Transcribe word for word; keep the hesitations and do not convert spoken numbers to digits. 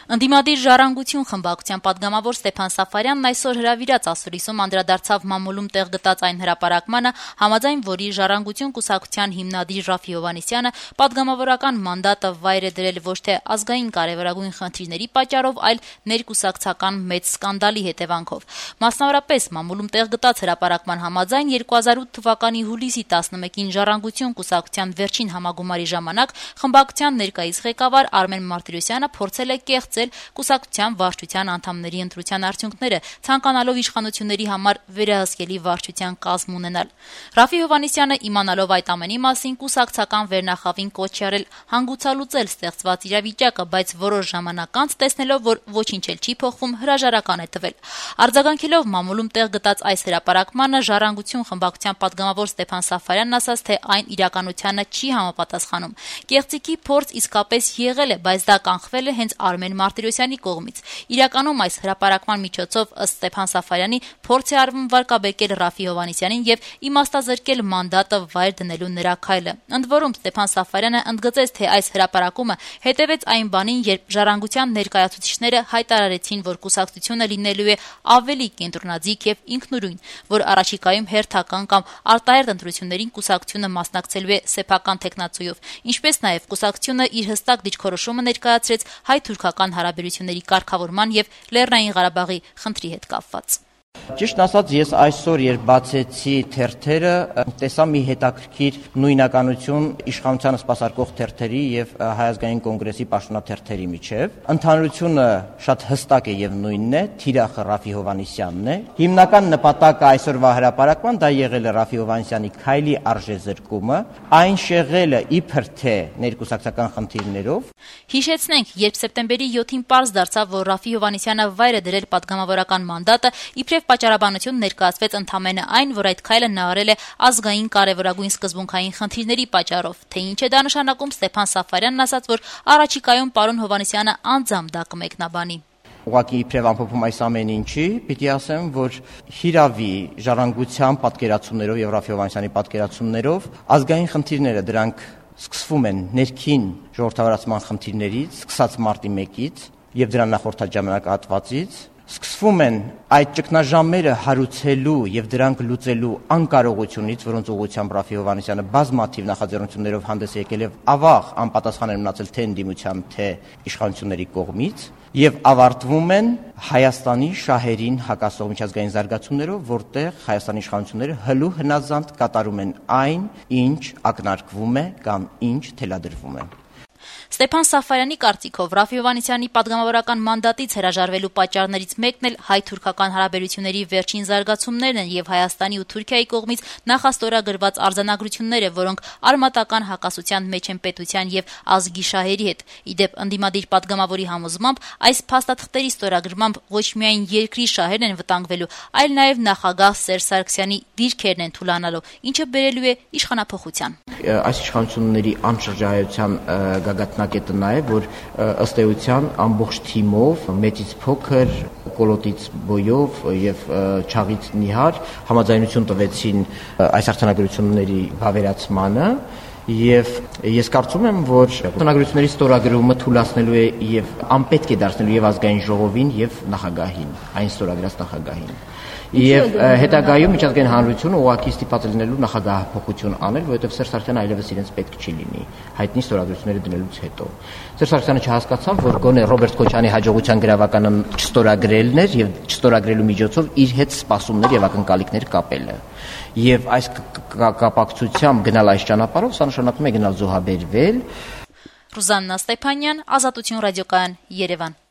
Ընդդիմադիր «Ժառանգություն» խմբակցության պատգամավոր Ստեփան Սաֆարյանն այսօր հրավիրած ասուլիսում անդրադարձավ մամուլում տեղ գտած այն հրապարակմանը, համաձայն որի «Ժառանգություն» կուսակցության հիմնադիր Ռաֆի Հովհաննիսյանը պատգամավորական մանդատը վայր է դրել ոչ թե ազգային կարևորագույն խնդիրների պատճառով, այլ ներկուսակցական մեծ սկանդալի հետևանքով։ Մասնավորապես, մամուլում տեղ գտած հրապարակման համաձայն երկու հազար ութ թվականի հուլիսի տասնմեկին «Ժառանգություն» կուսակցության վերջին համագումարի ժամանակ խմբակցության ներկայիս ղեկավար Արմեն Մարտիրոսյանը փորձել է կեղծել կուսակցության վարչության անդամների ընտրության արդյունքները, ցանկանալով իշխանությունների համար վերահսկելի վարչության կազմ ունենալ։ Ռաֆի Հովհաննիսյանը, իմանալով այդ ամենի մասին, կուսակցական վերնախավին կոչ է արել հանգուցալուծել ստեղծված իրավիճակը, բայց որոշ ժամանակ անց, տեսնելով, որ ոչինչ էլ չի փոխվում, հրաժարական է տվել։ Արձագանքելով մամուլում տեղ գտած այս հրապարակմանը, «Ժառանգություն» խմբակցության պատգամավոր Ստեփան Սաֆարյանն ասաց, թե այն իրականությանը չի համապատասխանում։ Կեղծիքի փորձ իսկապես եղել է, բայց դա կանխվել է հենց Արմեն Մարտիրոսյանի կողմից։ Իրականում այս հրապարակման միջոցով, ըստ Ստեփան Սաֆարյանի, փորձ է արվում վարկաբեկել Ռաֆի Հովհաննիսյանին եւ իմաստազրկել մանդատը վայր դնելու նրա քայլը։ Ընդ որում, Ստեփան Սաֆարյանը ընդգծեց, թե այս հրապարակումը հետևեց այն բանին, երբ «Ժառանգության» ներկայացուցիչները հայտարարեցին, որ կուսակցությունը լինելու է ավելի կենտրոնաձիգ եւ ինքնուրույն, որ առաջիկայում հերթական կամ արտահերթ ընտրություններին կուսակցությունը մասնակցելու է սեփական թեկնածուով, ինչպես նաեւ կուսակցությունը իր հստակ դիրքորոշումը ներկայացրեց հայ-թուրքական հարաբերությունների կարգավորման եւ Լեռնային Ղարաբաղի խնդրի հետ կապված։ Ճիշտ ասած, ես այսօր, երբ բացեցի թերթերը, տեսա մի հետաքրքիր նույնականություն իշխանությանը սպասարկող թերթերի եւ Հայ ազգային կոնգրեսի պաշտոնաթերթերի միջեւ։ Ընդհանրությունը շատ հստակ է եւ նույնն է, թիրախը Ռաֆի Հովհաննիսյանն է։ Հիմնական նպատակը այսօրվա հրապարակման դա եղել է Ռաֆի Հովհաննիսյանի քայլի արժեզրկումը, այն շեղելը իբր թե ներկուսակցական խնդիրներով։ Հիշեցնենք, երբ սեպտեմբերի յոթին պարզ դարձավ, որ Ռաֆի Հովհաննիսյանը վայր է դրել պատգամավորական մանդատը, իբրև պատճառաբանություն ներկայացվեց ընդամենը այն, որ այդ քայլը նա արել է ազգային կարևորագույն սկզբունքային խնդիրների պատճառով։ Թե ինչ է դա նշանակում, Ստեփան Սաֆարյանն ասաց, որ առաջիկայում պարոն Հովհաննիսյանը անձամբ դա կմեկնաբանի։ Ուղղակի իբրև ամփոփում այս ամեն ինչի, պիտի ասեմ, որ հիրավի ժառանգության պատկերացումներով եւ Ռաֆի Հովհաննիսյանի պատկերացումներով ազգային խնդիրները դրանք սկսվում են ներքին ժողովրդավարացման խնդիրներից, սկսած մարտի մեկից եւ դրան նախորդած ժամանակահատվածից, սկսվում են այդ ճգնաժամերը հարուցելու եւ դրանք լուծելու անկարողությունից, որոնց ուղղությամբ Ռաֆի Հովհաննիսյանը բազմաթիվ նախաձեռնություններով հանդես եկել եւ ավաղ անպատասխան են մնացել թե ընդդիմության, թե իշխանությունների կողմից, եւ ավարտվում են Հայաստանի շահերին հակասող միջազգային զարգացումներով, որտեղ Հայաստանի իշխանությունները հլու հնազանդ կատարում են այն, ինչ ակնարկվում է կամ ինչ թելադրվում է։ Ստեփան Սաֆարյանի կարծիքով Ռաֆի Հովհաննիսյանի պատգամավորական մանդատից հրաժարվելու պատճառներից մեկն էլ հայ-թուրքական հարաբերությունների վերջին զարգացումներն են եւ Հայաստանի ու Թուրքիայի կողմից նախաստորագրված արձանագրությունները, որոնք արմատական հակասության մեջ են պետության եւ ազգի շահերի հետ։ Իդեպ, ընդդիմադիր պատգամավորի համոզմամբ, այս փաստաթղթերի ստորագրմամբ ոչ միայն երկրի շահերն են վտանգվելու, այլ նաեւ նախագահ Սերժ Սարգսյանի դիրքերն են թուլանալու, ինչը բերելու է իշխանափոխության։ Այս իշխանությունների անշրջայության գագաթնակետը նա է, որ ըստ էության ամբողջ թիմով, մեծից փոքր, կոլոտից բոյով եւ չաղից նիհար համաձայնություն տվեցին այս արձանագրությունների բավերացմանը։ Եվ ես կարծում եմ, որ արձանագրությունների ստորագրումը թույլատնելու է եւ անպետք է դարձնելու եւ ազգային ժողովին եւ նախագահին, այն ստորագրած նախագահին։ Եվ հետագայում միջազգային հանրությունը ուղղակի ստիպված լինելու նախագահափոխություն անել, որովհետև Սերժ Սարգսյանը այլևս իրենց պետք չի լինի հայտնի ստորագրությունները դնելուց հետո։ Սերժ Սարգսյանը չհասկացավ, որ գոնե Ռոբերտ Քոչարյանի հաջողության գրավականը չստորագրելն էր եւ չստորագրելու միջոցով իր հետ սպասումներ եւ ակնկալիքներ կապելը։ Եվ այս կապակցությամբ գնալ այս ճանապարհով, սա նշանակում է գնալ զոհաբերվել։ Ռուզաննա Ստեփանյան, Ազատություն ռադիոկայան, Երևան։